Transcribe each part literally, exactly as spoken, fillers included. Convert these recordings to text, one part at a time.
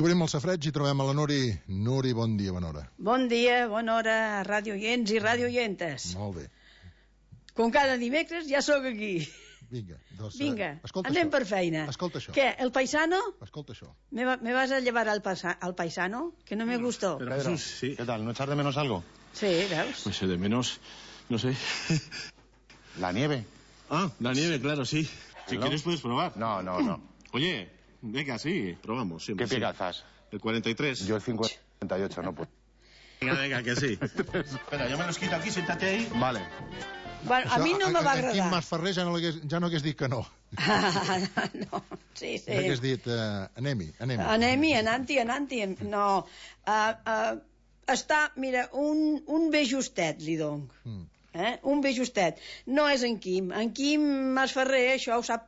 I obrim el safreig i trobem a la Nuri. Nuri, bon dia, bona hora. Bon dia, bona hora, ràdio oients i ràdio oientes. Molt bé. Com cada dimecres ja sóc aquí. Vinga, doncs, Vinga, escolta anem això. per feina. Escolta això. Què, el paisano? Escolta això. ¿Me, va, me vas a llevar al, pasa, al paisano? Que no me gustó. Pero Jesús, sí. ¿Qué tal? ¿No echar de menos algo? Sí, veus? Pues de menos, no sé. ¿La nieve? Ah, la nieve, claro, sí. Si ¿No? quieres puedes probar. No, no, no. Oye, venga, sí, probamos. Siempre, ¿Qué pie sí. calzas? El cuarenta y tres. Yo el cincuenta y ocho, no puedo. Venga, venga, que sí. Espera, yo me los quito aquí, siéntate ahí. Vale. Bueno, a mi no me va Aquí en agradar. Mas Ferrer ja no hagués, ja no hagués dit que no. Ah, no, sí, sí. Ja hagués dit, uh, anem-hi, anem-hi. Anem-hi, anant-hi, anant-hi. No, uh, uh, està, mira, un, un bé justet, li dono. Mm. Eh? Un bé justet. No és en Quim. En Quim Masferrer això ho sap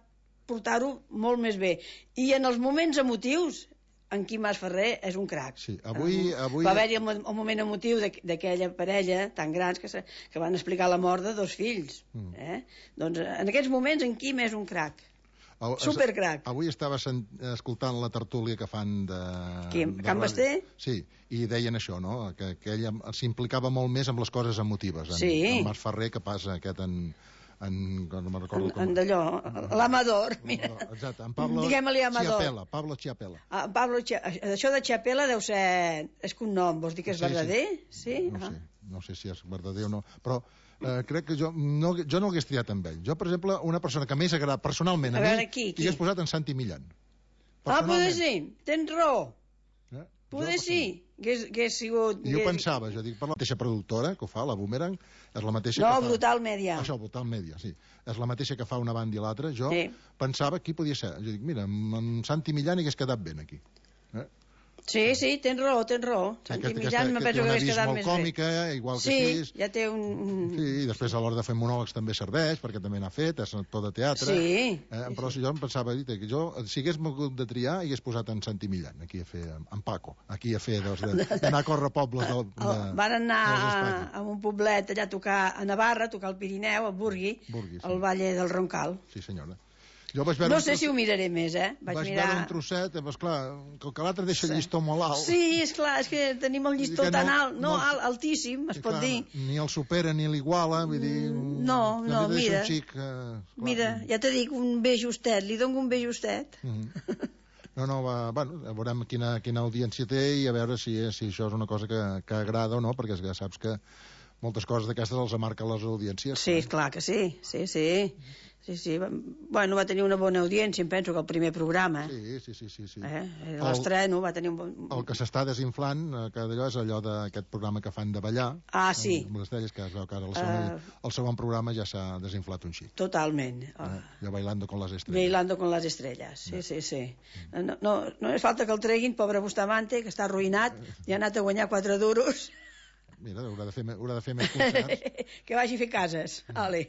portar-ho molt més bé. I en els moments emotius, en Quim Masferrer és un crac. Sí, avui... avui... Va haver-hi el, el moment emotiu d'aquella parella tan grans que, se, que van explicar la mort de dos fills. Mm. Eh? Doncs en aquests moments en Quim és un crac. Supercrac. Avui estava sent, escoltant la tertúlia que fan de... Quim? de Can ràdio. Basté? Sí, i deien això, no? Que, que ella s'implicava molt més amb les coses emotives. En, Sí. en Mas Ferrer, que passa aquest en... en no me'n recordo En, com... en d'allò, l'Amador, mira. Exacte, en Pablo Diguem-li Amador. Chiapella, Pablo Chiapella. Ah, Pablo, Chia- això de Chiapella deu ser... És que un nom, vols dir que és Sí, sí. verdader? Sí? No Ah. sé, no sé si és verdader o no, però eh, crec que jo no, jo no hagués triat amb ell. Jo, per exemple, una persona que m'hagués agradat personalment a, A veure, mi, qui, qui? hagués posat en Santi Millán. Ah, poder sí, tens raó. Eh? Poder Jo, sí, hagués, hagués sigut... I jo hagués- pensava, jo dic, per la mateixa productora que ho fa, la Boomerang, és la mateixa No, que fa... Brutal Media. Això, Brutal Media, sí. És la mateixa que fa una banda i l'altra. Jo Sí. pensava qui podia ser. Jo dic, mira, amb en Santi Millán hagués quedat ben aquí. Eh? Sí, sí, tens raó, tens raó. Santi Aquesta- Millán me que té penso que una hagués vis quedat molt més còmica, bé. igual que Sí, així. ja té un... un- Sí, i després a l'hora de fer monòlegs també serveix, perquè també n'ha fet, és actor de teatre. Sí. Eh, però si jo em pensava, dit, que jo, si hagués mogut de triar, hagués posat en Santi Millán, aquí a fer, en Paco, aquí a fer, doncs, de- d'anar a córrer pobles del, de, El, van anar dels a, Espanya. a un poblet allà a tocar a Navarra, a tocar al Pirineu, a Burgui, Burgui, sí. al Valle del Roncal. Sí, senyora. Jo vaig veure No un sé tros- si ho miraré més, eh? Vaig, vaig mirar... veure un trosset, doncs clar, com que l'altre deixa el llistó molt alt. Sí, és clar, és que tenim el llistó Vull dir que tan no- alt, no, no- alt, altíssim, es Sí, pot clar, dir. Ni el supera ni l'iguala, vull dir... No, també no, deixa mira. Un xic, eh, clar. Mira, ja te dic, un bé justet, li dono un bé justet. Mhm. No, no, va, bueno, veurem quina, quina audiència té i a veure si, si això és una cosa que, que agrada o no, perquè ja saps que moltes coses d'aquestes els marquen les audiències. Sí, és clar que sí, sí, sí. Sí, sí. Bueno, va tenir una bona audiència, em penso que el primer programa. Sí, sí, sí, sí, sí. Eh? El- L'estreno va tenir un bon... El que s'està desinflant, eh, que d'allò és allò d'aquest programa que fan de ballar. Ah, sí. Amb les estrelles, que es veu que ara el segon, Uh, el segon programa ja s'ha desinflat un xic. Totalment. Eh? Oh. Ja bailando con les estrelles. Bailando con les estrelles, sí, sí, sí. No, no, no és falta que el treguin, pobre Bustamante, que està arruïnat, i ha anat a guanyar quatre duros. Mira, haurà de fer, me- haurà de fer més concerts. Que vagi a fer cases. Ale.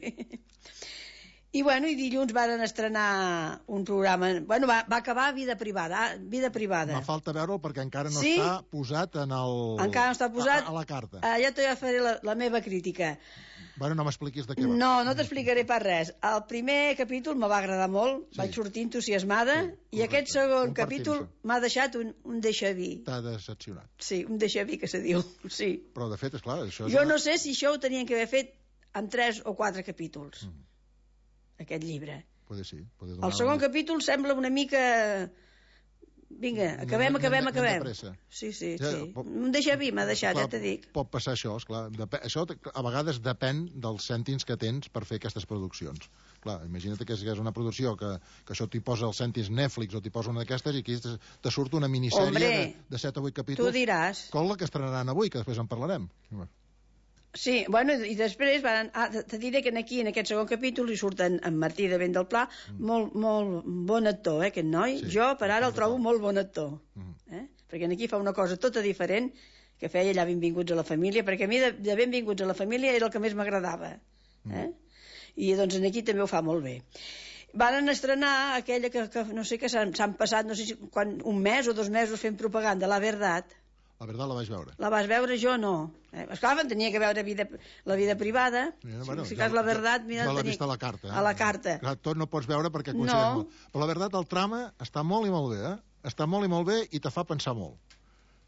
I bueno, i dilluns varen estrenar un programa... Bueno, va, va acabar Vida Privada, Vida Privada. Me falta veure'l perquè encara no Sí? està posat en el... Encara no està posat? A, a la carta. Ah, ja te faré la, la meva crítica. Bueno, no m'expliquis de què va. No, no t'explicaré pas res. El primer capítol me va agradar molt, Sí. vaig sortir entusiasmada, Sí, i correcte. aquest segon Compartim capítol això. m'ha deixat un, un deixaví. T'ha decepcionat. Sí, un deixaví que se diu, sí. Però, de fet, és clar, això... és Jo una- no sé si això ho tenien que haver fet en tres o quatre capítols, Mm. aquest llibre. Puede sí. Puede donar El segon un- capítol sembla una mica... Vinga, acabem, Anem- acabem, anem de acabem. pressa. Sí, sí, Ja, sí. pot- Un deixaví m'ha deixat, Clar, ja t'he dit. Pot passar això, esclar. Depe això a vegades depèn dels cèntims que tens per fer aquestes produccions. Clar, imagina't que és una producció que, que això t'hi posa els cèntims Netflix o t'hi posa una d'aquestes i aquí te, te surt una minissèrie Hombre, de, de set o vuit capítols. Tu diràs. Com la que estrenaran avui, que després en parlarem. Sí, bueno, i després van, ah, te te diré que aquí, en aquest segon capítol, hi surten en Martí de Vent del Pla, mm. molt, molt bon actor, eh, aquest noi. Sí, Jo, per ara, el sí, trobo d'acord. molt bon actor. Mm. Eh? Perquè aquí fa una cosa tota diferent que feia allà Benvinguts a la família, perquè a mi de, de Benvinguts a la família era el que més m'agradava. Eh? I doncs aquí també ho fa molt bé. Van estrenar aquella que, que no sé, que s'han s'han passat, no sé si quan, un mes o dos mesos fent propaganda, La Verdad. La veritat la vaig veure. La vas veure, jo no. Eh? Esclar, tenia que veure vida, la vida privada. Mira, si, bueno, si jo- cas la jo- verdad, mira... jo l'he tenia- vist a la carta. Eh? A la carta. Clar, tot no pots veure perquè No. considerem... Però la veritat, el trama està molt i molt bé, eh? està molt i molt bé i te fa pensar molt.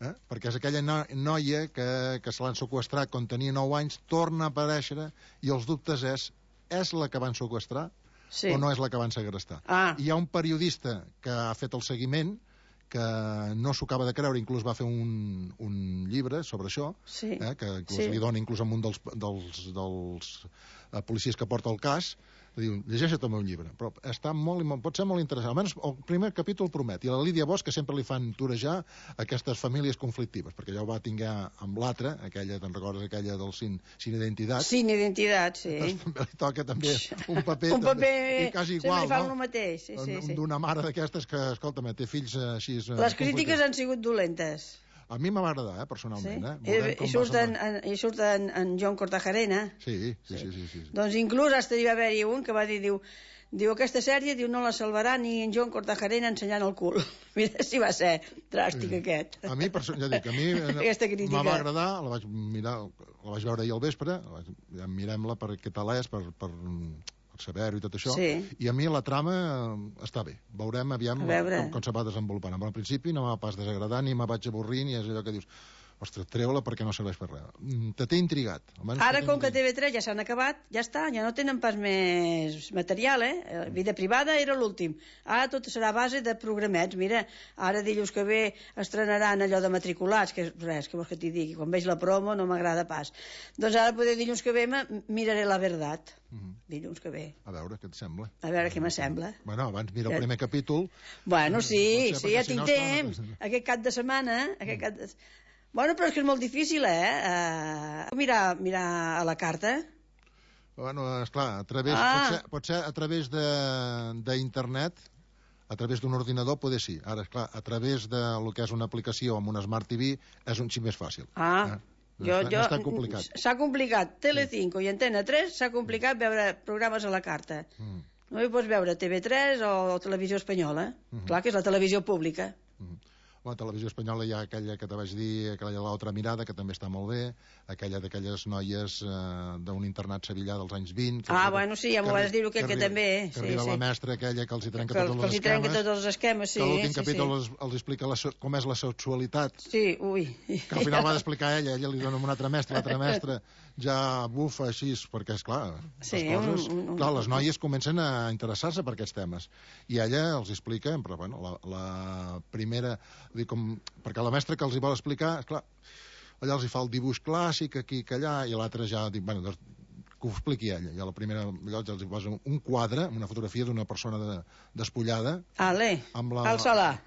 Eh? Perquè és aquella no, noia que, que se l'han seqüestrat quan tenia nou anys, torna a aparèixer i els dubtes és, és la que van seqüestrar Sí. o no és la que van segrestar? Ah. Hi ha un periodista que ha fet el seguiment que no s'ho acaba de creure, inclús va fer un, un llibre sobre això, Sí. eh, que inclús Sí. li dona inclús a un dels, dels, dels eh, policies que porta el cas, diu, llegeixa't el meu llibre, però està molt, i molt, pot ser molt interessant, almenys el primer capítol promet, i a la Lídia Bosch que sempre li fan torejar aquestes famílies conflictives, perquè ja ho va tinguer amb l'altra, aquella, te'n recordes, aquella del sin, sin identitat, Sin identitat, sí. també li toca també un paper, Un paper... també, i quasi igual, sempre li fan no? el mateix, sí, sí, sí. D'una mare d'aquestes que, escolta'm, té fills eh, així... Eh, Les crítiques han sigut dolentes. A mi m'ha agradar, eh, personalment. Sí? Eh? I, Veurem i com surt, va en, semblar. en, i surt en, en John Cortajarena. Sí, sí, sí. sí, sí, sí. Doncs inclús hasta hi va haver-hi un que va dir, diu, diu, aquesta sèrie diu, no la salvarà ni en John Cortajarena ensenyant el cul. Mira si va ser dràstic Sí. aquest. A mi, perso- ja dic, a mi eh, Aquesta crítica. me va agradar, la vaig mirar, la vaig veure ahir al vespre, la vaig, ja mirem-la per què tal és, per, per, per saber-ho i tot això, Sí. i a mi la trama eh, està bé. Veurem aviam A veure. com, com se va desenvolupant. Al principi no m'ha pas desagradar, ni me vaig avorrir, ni és allò que dius, ostres, treu-la perquè no serveix per res. Mm, Te té intrigat. Almenys Ara, te té com que intrigat. T V tres ja s'han acabat, ja està, ja no tenen pas més material, eh? Eh, Vida privada era l'últim. Ara tot serà a base de programets. Mira, ara dilluns que ve estrenaran allò de matriculats, que és res, que vols que t'hi digui? Quan veig la promo no m'agrada pas. Doncs ara, poder dilluns que ve, me- miraré la veritat. Mhm. Dilluns que ve. A veure, què et sembla? A veure què m'assembla. Bueno, abans mira el Ja- primer capítol. Bueno, sí, Potser, sí, perquè ja si tinc no, esclar, temps. no- Aquest cap de setmana, aquest cap de... Bueno, però és que és molt difícil, eh? Uh, mirar, mirar a la carta. Bueno, esclar, a través, Ah. pot, ser, pot ser a través de- d'internet, a través d'un ordinador, poder sí. Ara, esclar, a través de lo que és una aplicació amb una Smart T V és un xic més fàcil. Ah, Eh? No, jo, està, jo, no és tan complicat. S'ha complicat. Telecinco i Antena tres s'ha complicat veure programes a la carta. Mm. No hi pots veure T V tres o Televisió Espanyola. Mhm. Clar que és la televisió pública. Mm. A la televisió espanyola hi ha aquella que te vaig dir, aquella de l'altra mirada, que també està molt bé, aquella d'aquelles noies eh, d'un internat sevillà dels anys vint. Que Ah, arriba- bueno, sí, ja m'ho que vas dir, aquell que arriba- també, Que sí, arriba sí. la mestra aquella que els hi trenca Que, tots que els els hi trenca esquemes. tots els esquemes, sí. que l'últim sí, capítol sí. Els, els explica la, so- com és la sexualitat, Sí, ui. que al final va d'explicar ella, ella li dona un altre mestre, l'altre mestre ja bufa així, perquè és clar, Sí, les coses, un- un- clar, les noies comencen a interessar-se per aquests temes, i ella els explica, però bueno, la, la primera, dir, com, perquè la mestra que els hi vol explicar, clar, allà els hi fa el dibuix clàssic, aquí, que allà, i l'altre ja dic, bueno, doncs, que ho expliqui ella. Ja la primera, allò ja els hi posa un quadre, una fotografia d'una persona de, despullada, Ale, amb la- alça-la.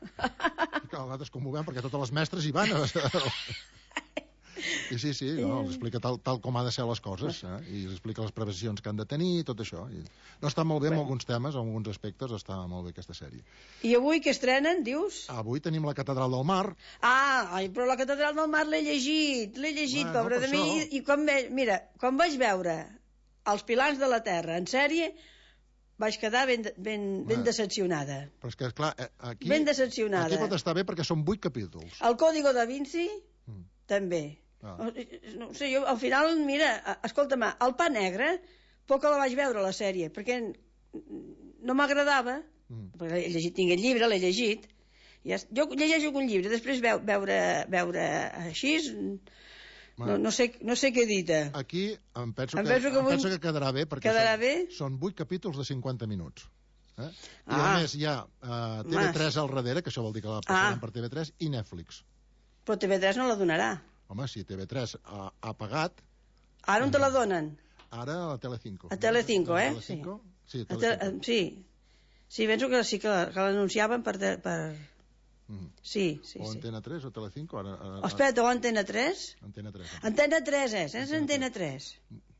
i clar, nosaltres com ho veiem, perquè totes les mestres hi van. I sí, sí, no, els explica tal, tal com ha de ser les coses, eh? I els explica les previsions que han de tenir i tot això. I... No, està molt bé en alguns temes, en alguns aspectes, està molt bé aquesta sèrie. I avui que estrenen, dius? Avui tenim la Catedral del Mar. Ah, ai, però la Catedral del Mar l'he llegit, l'he llegit, Bueno, pobra per de mi, això. i, i quan ve, mira, quan vaig veure Els pilars de la Terra en sèrie, vaig quedar ben, ben, ben Bueno. decepcionada. Però és que, clar, eh, aquí... Ben decepcionada. Aquí pot estar bé perquè són vuit capítols. El Código da Vinci, Mm. també. Ah. No ho sé, jo al final, mira, escolta'm, el Pa Negre, poc que la vaig veure, la sèrie, perquè no m'agradava, Mm. perquè he llegit, tinc el llibre, l'he llegit, i ja, jo llegeixo un llibre, després veu, veure, veure així, no, no, sé, no sé què dir-te. Aquí em penso, Em que, penso que em avui- penso que quedarà bé, perquè Quedarà són, bé? són vuit capítols de cinquanta minuts. Eh? I Ah. a més hi ha uh, T V tres al darrere, que això vol dir que la passaran Ah. per T V tres, i Netflix. Però T V tres no la donarà. Home, si T V tres ha, ha pagat, Ara on te la donen? ara a Telecinco. A Telecinco, A eh? Telecinco? Sí, A te, Telecinco. sí. Sí, penso que sí que, que l'anunciaven per, te- per... Mm. Sí, sí, O sí. Antena tres o Telecinco. Ara, ara, Oh, espera, o Antena tres? Antena tres. Antena tres és, és Antena tres.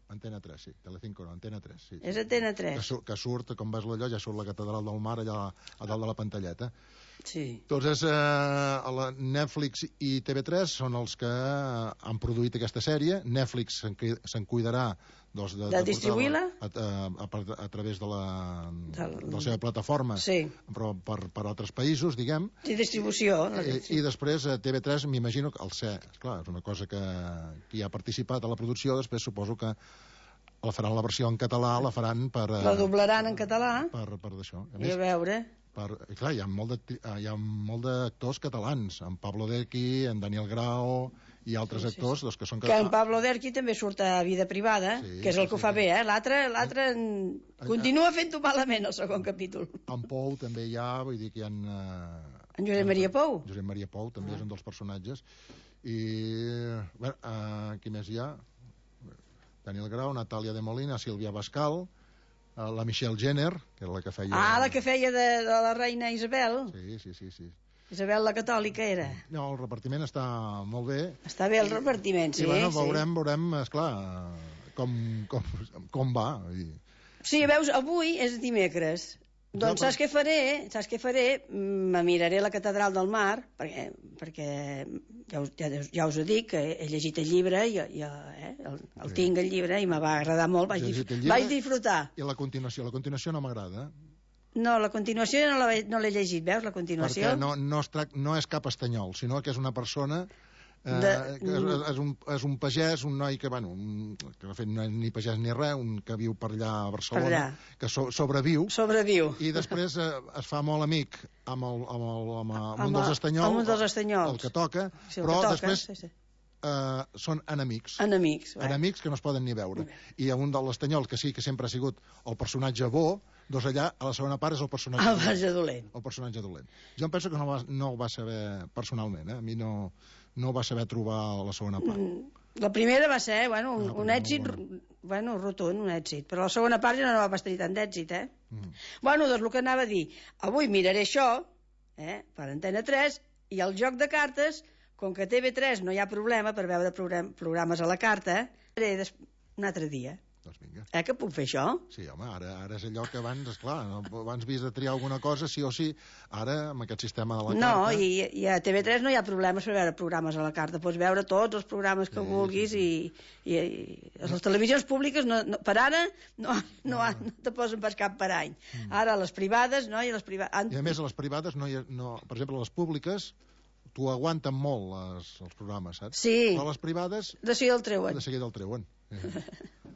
Antena tres, sí. Telecinco no, Antena tres, sí. És Antena Que, tres. sur, que surt, com veus allò, ja surt la Catedral del Mar allà a dalt de la pantalleta. Sí. Doncs és, eh, a la Netflix i T V tres són els que eh, han produït aquesta sèrie. Netflix se'n cui- se'n cuidarà doncs, de, De distribuir-la? a, a, a, a, a través de la, Del- de la seva plataforma, Sí. però per, per altres països, diguem. Sí, distribució. no? I, I després a T V tres m'imagino que el ser, esclar, és una cosa que, que hi ha participat a la producció, després suposo que la faran la versió en català, la faran per... eh, La doblaran en català per, per d'això. A i a més, veure. Per, clar, hi ha molt de, hi ha molt d'actors catalans, en Pablo Derqui, en Daniel Grao i altres sí, sí, actors, sí. Doncs, que són... Que en Pablo Derqui també surt a Vida Privada, sí, que és el sí, que ho fa sí, bé, eh? L'altre l'altre continua fent-ho malament, el segon capítol. En Pou també hi ha, vull dir que hi ha... Uh, en Josep Maria Pou? Josep Maria Pou també ah. és un dels personatges. I, bé, uh, qui més hi ha? Daniel Grau, Natàlia de Molina, Sílvia Bascal, la Michelle Jenner, que era la que feia... Ah, la que feia de, de la reina Isabel. Sí, sí, sí, sí. Isabel la catòlica era. No, el repartiment està molt bé. Està bé el repartiment, sí. I bueno, sí. veurem, veurem, esclar, com, com, com va. Sí, veus, avui és dimecres. Doncs saps què faré? Saps què faré? Me miraré la catedral del Mar, perquè, perquè ja, us, ja, ja us ho dic, que he llegit el llibre, i, i, eh, el, el sí. tinc el llibre, i me va agradar molt, vaig, dif vaig disfrutar. I la continuació? La continuació no m'agrada. No, la continuació no l'he no llegit, veus, la continuació? Perquè no, no, es trac, no és cap estanyol, sinó que és una persona... Eh, de... és, és, un, és un pagès, un noi que, bueno, un, que de fet no és ni pagès ni res, un que viu per allà a Barcelona, per allà. que so, sobreviu, sobreviu, i després eh, es fa molt amic amb, el, amb, el, amb, el, amb un dels estanyols, amb un dels estanyols. El que toca, sí, el però que toca, després sí, sí. Uh, són enemics. Enemics, enemics que no es poden ni veure. I un de l'estanyol, que sí que sempre ha sigut el personatge bo, doncs allà, a la segona part, és el personatge, el dolent. dolent. El personatge dolent. Jo em penso que no, va, no ho va saber personalment, eh? A mi no, no va saber trobar la segona part. Mm, la primera va ser, bueno, un, un èxit, bueno, rotund, un èxit, però la segona part ja no va tenir tant d'èxit, eh? Mm. Bueno, doncs el que anava a dir, avui miraré això, eh, per Antena tres, i el joc de cartes, com que a T V tres no hi ha problema per veure program, programes a la carta, faré un altre dia. Doncs vinga. Eh, que puc fer això? Sí, home, ara, ara és allò que abans, esclar, no, abans havies de triar alguna cosa, sí o sí, ara, amb aquest sistema de la no, carta... No, i, i a T V tres no hi ha problemes per veure programes a la carta, pots veure tots els programes que sí, vulguis sí, sí. I, i, i les televisions públiques, no, no, per ara, no, no, no. no te posen pas cap per any. Mm. Ara, les privades, no? I, les priva... I a més, a les privades, no hi ha, no, per exemple, les públiques... t'ho aguanten molt, les, els programes, saps? Sí. Però les privades... De seguida el treuen. De seguida el treuen. Eh.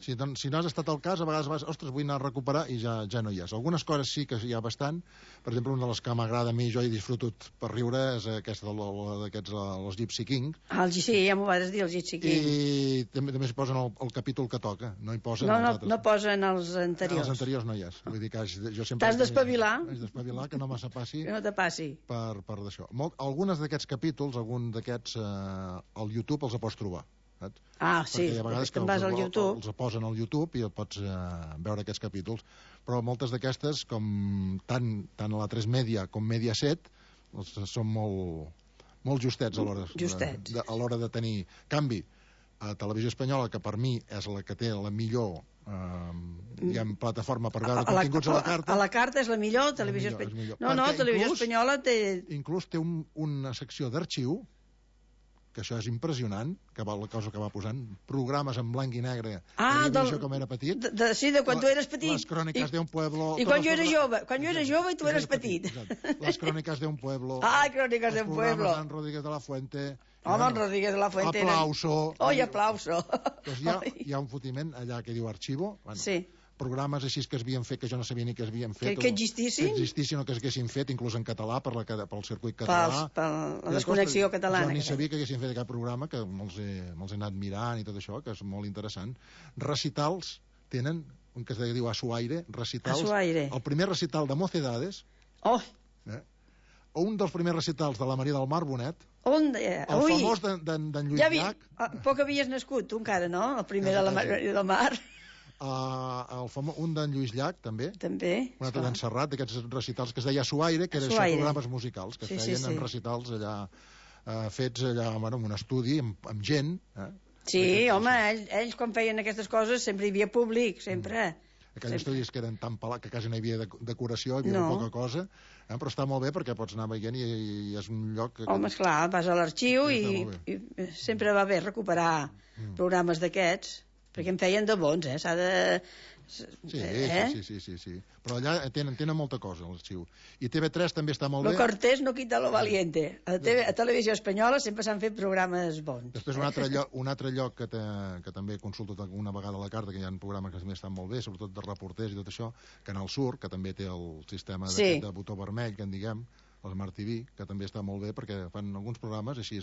Si, doncs, si no has estat al cas, a vegades vas, ostres, vull anar a recuperar i ja, ja no hi és. Algunes coses sí que hi ha bastant. Per exemple, una de les que m'agrada a mi, jo he disfrutat per riure, és aquesta d'aquests, els Gypsy King. Ah, el, sí, ja m'ho vas dir, els Gypsy King. I també, també s'hi posen el, el capítol que toca, no hi posen no, els no, altres. No posen els anteriors. Els anteriors no hi és. Vull dir que jo sempre... T'has d'espavilar. Has d'espavilar, que no massa passi. Que no te passi. Per, per d'això. Algunes d'aquests capítols, algun d'aquests, eh, al YouTube els pots trobar. Saps? Ah, sí, perquè hi ha vegades que vas els, al YouTube. els posen al YouTube i pots eh, veure aquests capítols, però moltes d'aquestes, com tant, tant a la tres Media com Mediaset, els, són molt, molt justets a l'hora justets. de, a l'hora de tenir canvi. A Televisió Espanyola, que per mi és la que té la millor eh, diguem, plataforma per veure a continguts a la carta. A la carta és la millor, Televisió Espanyola. No, no, Televisió Espanyola té... Inclús té un, una secció d'arxiu, que això és impressionant, que va, la cosa que va posant, programes en blanc i negre, ah, del, jo com era petit. De, de, sí, de quan la, tu eres petit. Les cròniques d'un pueblo... I quan jo era jove, quan jo era jove i tu eres petit. petit. Les cròniques d'un pueblo... Ah, cròniques d'un pueblo. Els programes d'en Rodríguez de la Fuente... Home, en Rodríguez de la Fuente... Aplauso... Oi, aplauso... Doncs hi ha, hi ha un fotiment allà que diu arxivo... Bueno, sí. Programes així que es havien fet, que jo no sabia ni que es havien fet... Que, que existissin? Que existissin o que s'haguessin fet, inclús en català, per la, pel circuit català. Per la desconnexió catalana. Jo ni sabia que haguessin fet aquest programa, que me'ls he, me he anat mirant i tot això, que és molt interessant. Recitals tenen, un que es diu A su aire, recitals... A su aire. El primer recital de Mocedades... Oh! Eh? O un dels primers recitals de la Maria del Mar Bonet... On de... El Ui. famós d'en Lluís ja havia... Llach... Ah, poc havies nascut, tu encara, no? El primer de la Maria del Mar... Uh, el famo... un d'en Lluís Llach, també. També. Un altre d'en Serrat, d'aquests recitals que es deia Suaire, que eren programes musicals, que sí, feien sí, sí. en recitals allà, uh, fets allà, bueno, en un estudi, amb, amb gent. Eh? Sí, que, home, ells, ells quan feien aquestes coses sempre hi havia públic, sempre. Mm. Aquells estudis que eren tan pelats que quasi no hi havia decoració, hi havia no. poca cosa, eh? Però està molt bé perquè pots anar veient i, i és un lloc... Que, home, esclar, vas a l'arxiu i, i sempre va bé recuperar mm. programes d'aquests. perquè em feien de bons, eh? S'ha de... Sí, eh? sí, sí, sí, sí. Però allà tenen, tenen molta cosa, l'arxiu. I T V tres també està molt Lo bé. cortés no quita lo valiente. A, TV, a Televisió Espanyola sempre s'han fet programes bons. Després un altre lloc, un altre lloc que, te, que també consulto una vegada a la carta, que hi ha programes que també estan molt bé, sobretot de reporters i tot això, Canal Sur, que també té el sistema Sí. de botó vermell, que en diguem, el Smart T V, que també està molt bé perquè fan alguns programes així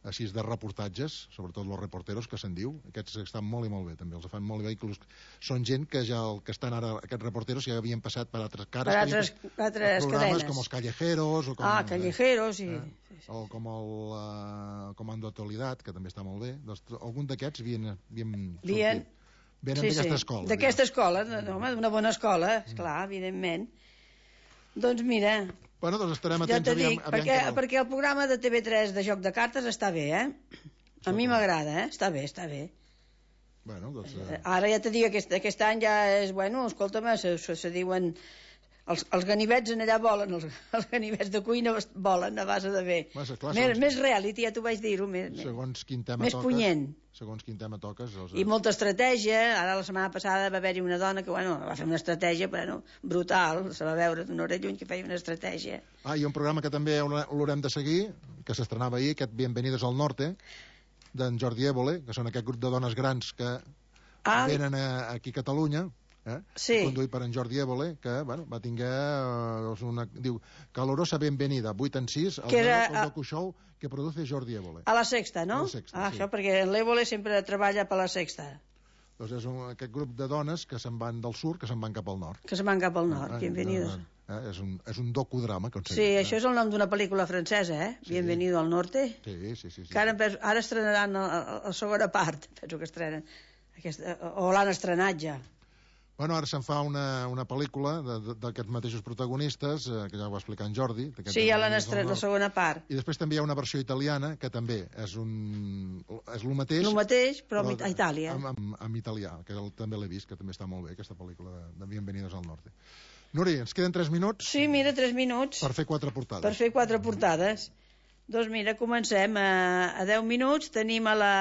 així de reportatges, sobretot los reporteros, que se'n diu. Aquests estan molt i molt bé, també. Els fan molt bé. Inclús són gent que ja el que estan ara, aquests reporteros, ja havien passat per altres cares. Per altres, altres programes cadenes. com els Callejeros. O com, Ah, Callejeros, sí. Eh? Sí, sí. O com el uh, Comando Actualidad, que també està molt bé. Doncs, algun d'aquests havien, havien Vien... sortit. Venen sí, d'aquesta sí. escola. D'aquesta escola, no, home, d'una bona escola, esclar, mm. evidentment. Doncs mira... Bueno, doncs estarem ja atents. te aviam, dic, aviam perquè, el... perquè el programa de T V tres de joc de cartes està bé, eh? A mi m'agrada, eh? Està bé, està bé. Bueno, doncs... Eh... Ara ja te dic, aquest, aquest any ja és... Bueno, escolta'm, se, se, se diuen... Els, els ganivets en allà volen, els, els ganivets de cuina volen a base de bé. Massa, clar, més, segons, més reality, ja t'ho vaig dir-ho. Més, segons quin tema més toques, punyent. Segons quin tema toques... Els... I molta estratègia. Ara la setmana passada va haver-hi una dona que, bueno, va fer una estratègia, però no, brutal. Se va veure d'una hora lluny que feia una estratègia. Ah, i un programa que també l'haurem de seguir, que s'estrenava ahir, aquest Bienvenidos al Norte, d'en Jordi Évole, que són aquest grup de dones grans que ah, venen a, aquí a Catalunya, eh? Sí. Conduït per en Jordi Évole, que bueno, va tinguer eh, una, diu, calorosa benvenida, vuit en sis, al era, el docu-show que produce Jordi Évole. A la Sexta, no? A la Sexta, ah, sí. Això, perquè l'Évole sempre treballa per la Sexta. Doncs és un, aquest grup de dones que se'n van del sud, que se'n van cap al nord. Que se'n van cap al nord, ah, bienvenidos. Eh? És, un, és un docudrama. Que sí, eh? Això és el nom d'una pel·lícula francesa, eh? Sí. Bienvenido al Norte. Sí, sí, sí. sí, que ara, sí. penso, ara estrenaran la, la segona part, penso que estrenen. Aquesta, o l'han estrenat ja. Bueno, ara se'n fa una, una pel·lícula d'aquests mateixos protagonistes, eh, que ja ho va explicar en Jordi. Sí, ja l'han estrenat, la segona part. I després també hi ha una versió italiana, que també és un és el mateix... El mateix, però, però a Itàlia. Amb, amb, amb italià, que el, també l'he vist, que també està molt bé, aquesta pel·lícula de, de Bienvenidos al Norte. Nuri, ens queden tres minuts? Sí, mira, tres minuts. Per fer quatre portades. Per fer quatre portades. Doncs mira, comencem. A, a deu minuts tenim a la...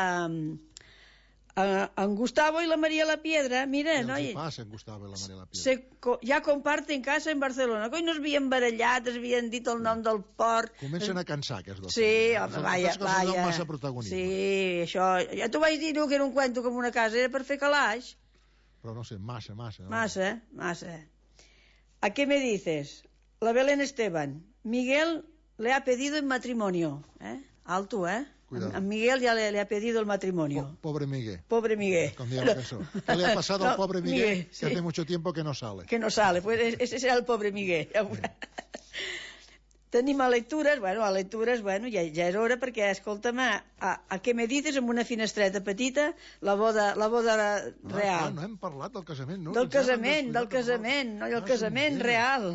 en Gustavo y la María La Piedra, mira, no? Què els hi passa en Gustavo i la María La Piedra? Se, ja comparten casa en Barcelona. Coi, no es havien barallat, es havien dit el nom del port. Comencen a cansar, aquests dos. Sí, home, vaja, vaja. Massa protagonisme. Sí, això... Ja t'ho vaig dir, no, que era un cuento com una casa, era per fer calaix. Però no sé, massa, massa. Massa, massa. ¿A qué me dices? La Belén Esteban. Miguel le ha pedido en matrimonio. ¿Eh? Alto, ¿eh? Cuidado. A Miguel ya le, le ha pedido el matrimonio. Po pobre Miguel. Pobre Miguel. Con la canción. ¿Qué le ha pasado no, al pobre Miguel? Miguel que sí. Hace mucho tiempo que no sale. Que no sale. Pues ese será el pobre Miguel. Tenim a lectures, bueno, a lectures, bueno, ja, ja és hora perquè, escolta'm, a, a, a què me dices amb una finestreta petita, la boda, la boda real. Ah, no hem parlat del casament, no? Del casament, del casament, no, el casament real.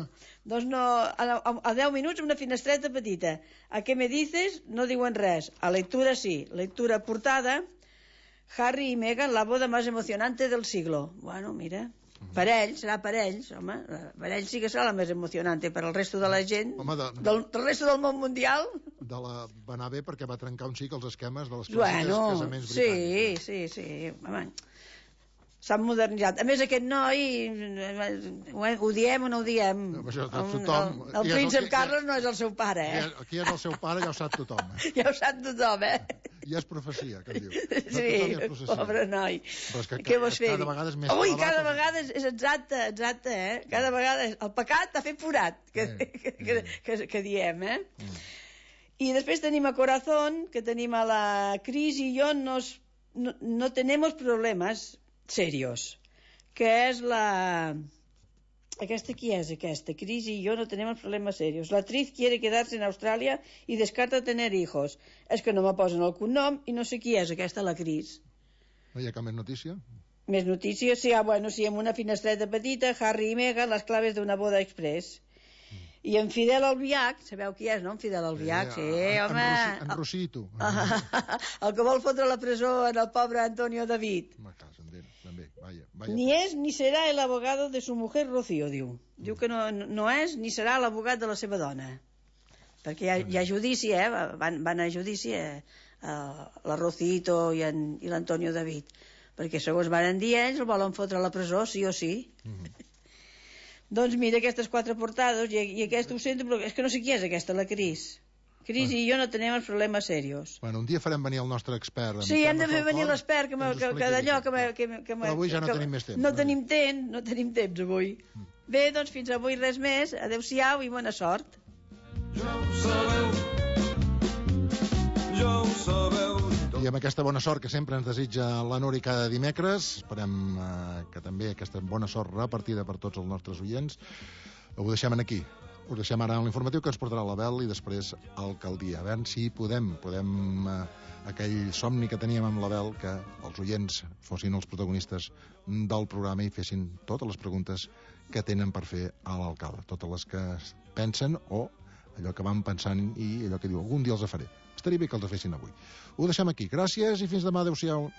Doncs no, a, a, a deu minuts una finestreta petita. A què me dices? No diuen res. A lectura sí. Lectura portada, Harry y Meghan, la boda más emocionante del siglo. Bueno, mira... Per ells, serà per ells, home, per ells sí que serà la més emocionante, per al resto de la gent, home, de, del, del resto del món mundial... De la, va anar bé perquè va trencar un xic els esquemes de les clàssiques bueno, casaments sí, britànics. Sí, sí, sí, home, s'han modernitzat. A més, aquest noi, ho diem o no ho diem? No, això, tothom, el el príncep el, Carles no és el seu pare, eh? Aquí és el seu pare, ja ho sap tothom. Eh? Ja ho sap tothom, eh? Ja és profecia, que en diu. Sí, pobre noi. Però és que què vols fer? Cada vegada és més... Ui, cada vegada és, és exacte, exacte, eh? Cada vegada és... El pecat t'ha fet forat, que, eh, que, que, que, que diem, eh? Mm. I després tenim a Corazón, que tenim a la Cris i jo nos, no, no tenemos problemas serios, que és la... Aquesta qui és, aquesta? Cris y yo no tenemos problemas serios. La actriz quiere quedarse en Australia y descarta tener hijos. És que no me posen el cognom i no sé qui és aquesta, la Cris. No hi ha cap més notícia? Més notícies? Sí, ah, bueno, sí, amb una finestreta petita, Harry i Meghan, les claves d'una boda express. Mm. I en Fidel Albiach, sabeu qui és, no? En Fidel Albiach, sí, sí en, home. En, en Rosito. El que vol fotre a la presó en el pobre Antonio David. Ma casa, també, vaya, vaya. Ni és ni serà el abogado de su mujer Rocío, diu. Mm. Diu que no, no és ni serà l'abogat de la seva dona. Perquè hi ha, hi ha judici, eh? Van, van a judici, eh? Uh, la Rocito i, en, i l'Antonio David. perquè segons van dir ells el volen fotre a la presó, sí o sí. Mm-hmm. Doncs mira, aquestes quatre portades, i, i aquesta ho sento, però és que no sé qui és aquesta, la Cris. Cris bueno. I jo no tenim els problemes serios. Bueno, un dia farem venir el nostre expert. Sí, hem de fer venir l'expert, que, que, que d'allò que, que, que... Però avui ja no que, tenim més temps. No tenim temps, no tenim temps avui. Mm. Bé, doncs fins avui res més. Adéu-siau i bona sort. Ja ho sabeu, ja ho sabeu. I amb aquesta bona sort que sempre ens desitja la Nuri cada dimecres, esperem eh, que també aquesta bona sort repartida per tots els nostres oients, ho deixem aquí. Us deixem ara en l'informatiu que ens portarà l'Abel i després alcaldia. A veure si podem, podem eh, aquell somni que teníem amb l'Abel, que els oients fossin els protagonistes del programa i fessin totes les preguntes que tenen per fer a l'alcalde. Totes les que pensen o allò que van pensant i allò que diu algun dia els faré. Estaria bé que els fessin avui. Ho deixem aquí. Gràcies i fins demà. Adéu-siau.